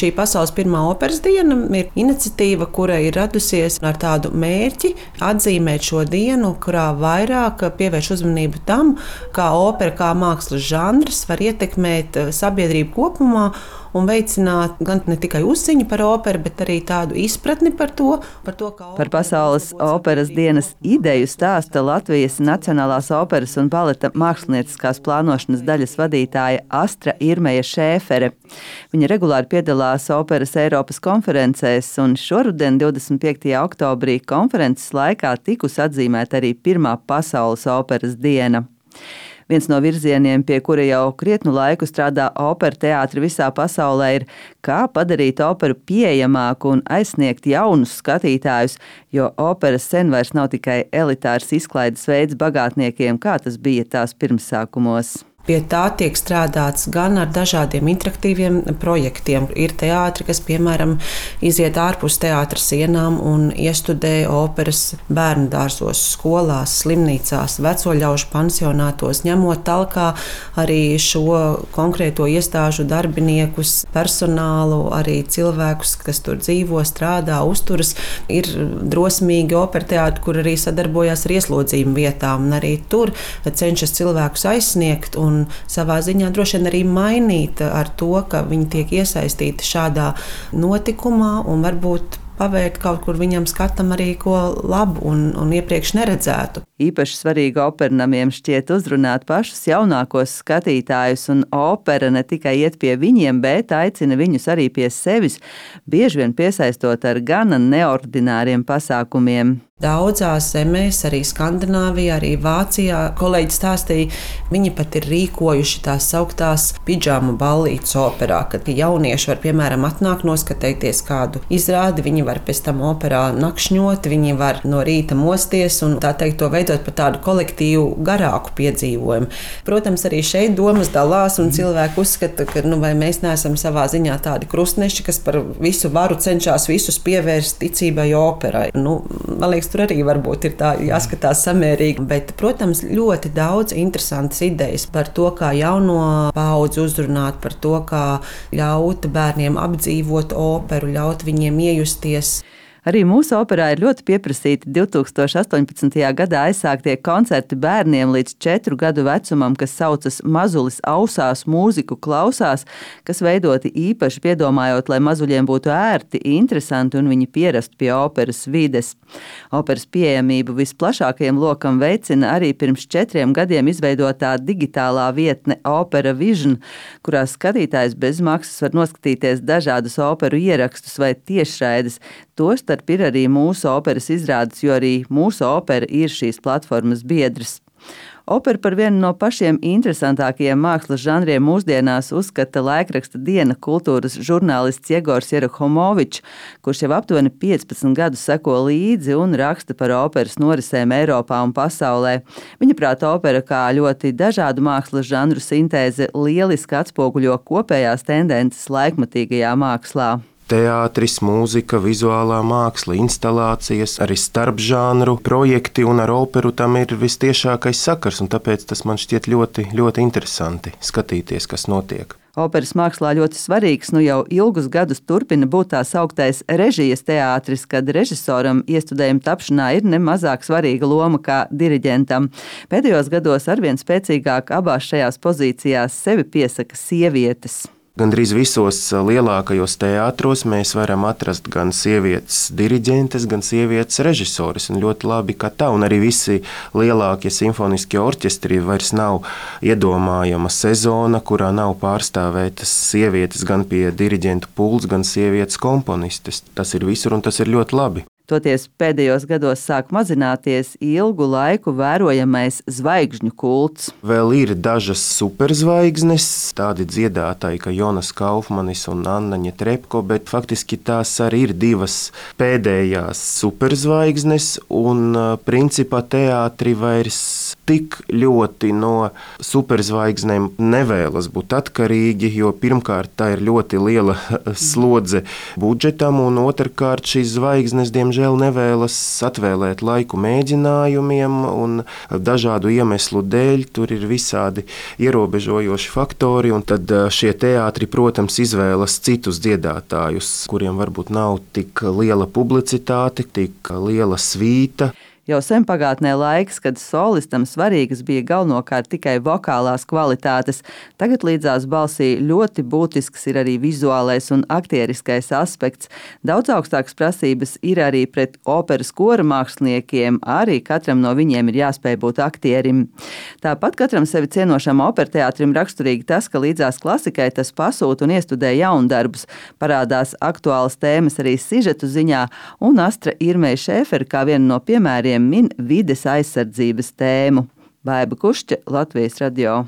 šī pasaules pirmā operas diena ir iniciatīva, kura ir radusies ar tādu mērķi atzīmēt šo dienu, kurā vairāk pievērš uzmanību tam, kā opera, kā mākslas žanrs var ietekmēt sabiedrību kopumā un veicināt gan ne tikai uzziņu par operu, bet arī tādu izpratni par to, kā Par pasaules operas dienas ideju stāsta Latvijas Nacionālās operas un baleta mākslinieckās plānošanas daļas vadītāja Astra Irmeja Šēfere. Viņa regulāri piedalās operas Eiropas konferencēs, un šoruden 25. oktobrī konferences laikā tikusi atzīmēta arī pirmā pasaules operas diena. Viens no virzieniem, pie kura jau krietnu laiku strādā opera teātri visā pasaulē, ir kā padarīt operu pieejamāku un aizsniegt jaunus skatītājus, jo opera sen vairs nav tikai elitārs izklaides veids bagātniekiem, kā tas bija tās pirmsākumos. Pie tā tiek strādāts gan ar dažādiem interaktīviem projektiem. Ir teātri, kas, piemēram, iziet ārpus teātra sienām un iestudē operas bērnu dārzos, skolās, slimnīcās, veco ļaužu pansionātos, ņemot talkā arī šo konkrēto iestāžu darbiniekus, personālu, arī cilvēkus, kas tur dzīvo, strādā, uzturas. Ir drosmīgi opera teātri, kur arī sadarbojās ar ieslodzījuma vietām, un arī tur cenšas cilvēkus aizsniegt un savā ziņā droši vien arī mainīt ar to, ka viņi tiek iesaistīti šādā notikumā un varbūt pavērt kaut kur viņam skatam arī ko labu un iepriekš neredzētu. Īpaši svarīgi opernamiem šķiet uzrunāt pašus jaunākos skatītājus, un opera ne tikai iet pie viņiem, bet aicina viņus arī pie sevis, bieži vien piesaistot ar gana neordināriem pasākumiem. Daudzās zemēs, arī Skandināvijā, arī Vācijā, kolēģi stāstīja, viņi pat ir rīkojuši tās sauktās pidžāmu ballītes operā, kad jaunieši var, piemēram, atnākt noskatīties kādu izrādi, viņi var pēc tam operā nakšņot, viņi var no rīta mosties un tā teikt to veidot par tādu kolektīvu garāku piedzīvojumu. Protams, arī šeit domas dalās un cilvēki uzskata, ka vai mēs neesam savā ziņā tādi krustneši, kas par visu varu cenšas visus pievērst ticībai operai. Man liekas, tur arī varbūt ir tā jāskatās samērīgi, bet, protams, ļoti daudz interesantas idejas par to, kā jauno paudzi uzrunāt, par to, kā ļaut bērniem apdzīvot operu, ļaut viņiem iejusties. Arī mūsu operā ir ļoti pieprasīti 2018. gadā aizsāktie koncerti bērniem līdz 4 gadu vecumam, kas saucas Mazulis ausās, mūziku klausās, kas veidoti īpaši piedomājot, lai mazuļiem būtu ērti, interesanti un viņi pierastu pie operas vides. Operas pieejamību visplašākajam lokam veicina arī pirms 4 gadiem izveidotā digitālā vietne Opera Vision, kurā skatītājs bez maksas var noskatīties dažādus operu ierakstus vai tiešraides. Tostarp ir arī mūsu operas izrādes, jo arī mūsu opera ir šīs platformas biedrs. Opera par vienu no pašiem interesantākajiem mākslas žanriem mūsdienās uzskata laikraksta Diena kultūras žurnālists Jegors Jerohomovičs, kurš jau aptuveni 15 gadus seko līdzi un raksta par operas norisēm Eiropā un pasaulē. Viņa prāt, opera kā ļoti dažādu mākslas žanru sintēze lieliski atspoguļo kopējās tendences laikmatīgajā mākslā. Teātris, mūzika, vizuālā māksla, instalācijas, arī starpžānru projekti, un ar operu tam ir vistiešākais sakars, un tāpēc tas man šķiet ļoti, ļoti interesanti skatīties, kas notiek. Operas mākslā ļoti svarīgs, jau ilgus gadus turpina būt tā sauktais režijas teātris, kad režisoram iestudējuma tapšanā ir nemazāk svarīga loma kā diriģentam. Pēdējos gados arvien spēcīgāk abās šajās pozīcijās sevi piesaka sievietes. Gandrīz visos lielākajos teātros mēs varam atrast gan sievietes diriģentes, gan sievietes režisoris. Un ļoti labi, ka tā, un arī visi lielākie simfoniskie orķestri vairs nav iedomājama sezona, kurā nav pārstāvētas sievietes gan pie diriģentu pults, gan sievietes komponistes. Tas ir visur, un tas ir ļoti labi. Toties pēdējos gados sāk mazināties ilgu laiku vērojamais zvaigžņu kults. Vēl ir dažas superzvaigznes, tādi dziedātāji kā Jonas Kaufmanis un Anna Ņetrepko, bet faktiski tās arī ir divas pēdējās superzvaigznes, un principā teātri vairs tik ļoti no superzvaigznēm nevēlas būt atkarīgi, jo pirmkārt tā ir ļoti liela slodze budžetam, un otrkārt šīs zvaigznes diemžēl nevēlas atvēlēt laiku mēģinājumiem, un dažādu iemeslu dēļ tur ir visādi ierobežojoši faktori, un tad šie teātri, protams, izvēlas citus dziedātājus, kuriem varbūt nav tik liela publicitāte, tik liela svīta. Jau sen pagātnē laiks, kad solistam svarīgas bija galvenokārt tikai vokālās kvalitātes. Tagad līdzās balsī ļoti būtisks ir arī vizuālais un aktieriskais aspekts. Daudz augstākas prasības ir arī pret operas kora māksliniekiem, arī katram no viņiem ir jāspēj būt aktierim. Tāpat katram sevi cienošam operteātrim raksturīgi tas, ka līdzās klasikai tas pasūta un iestudē jaundarbus. Parādās aktuālas tēmas arī sižetu ziņā, un Astra Irmeja Šēfera kā viena no piemēriem min vides aizsardzības tēmu. Baiba Kušķe, Latvijas radio.